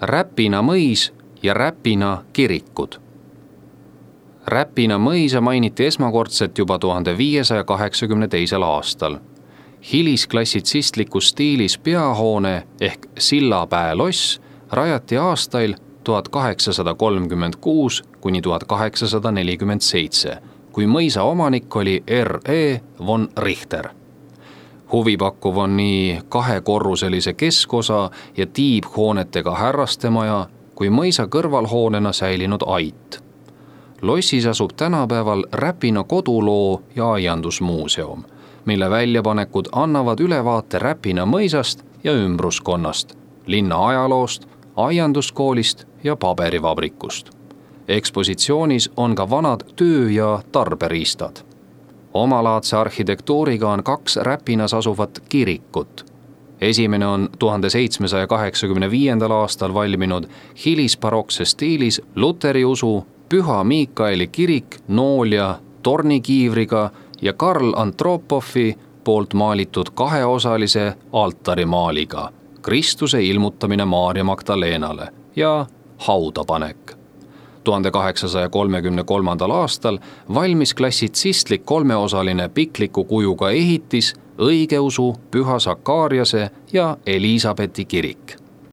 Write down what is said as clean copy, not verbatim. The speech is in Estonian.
Räpina mõis ja Räpina kirikud. Räpina mõisa mainiti esmakordselt juba 1582. aastal. Hilisklassitsistlikus stiilis peahoone ehk Sillapäe loss rajati aastail 1836 kuni 1847, kui mõisa omanik oli R.E. von Richter. Huvipakkuv on nii kahekorruselise keskosa ja tiibhoonetega härrastemaja kui mõisa kõrvalhoonena säilinud ait. Lossis asub tänapäeval Räpina koduloo ja aiandusmuuseum, mille väljapanekud annavad ülevaate Räpina mõisast ja ümbruskonnast, linna ajaloost, aianduskoolist ja paberivabrikust. Ekspositsioonis on ka vanad töö- ja tarberiistad. Omalaadse arhitektuuriga on 2 Räpinas asuvat kirikut. Esimene on 1785. aastal valminud hilisbarokse stiilis luteri usu Püha Miikaeli kirik Noolja tornikiivriga ja Karl Antropovi poolt maalitud 2-osalise altarimaaliga Kristuse ilmutamine Maarja Magdalenale ja haudapanek. 1833. aastal valmis klassitsistlik 3-osaline pikliku kujuga ehitis õigeusu Püha Sakariase ja Elisabethi kirik.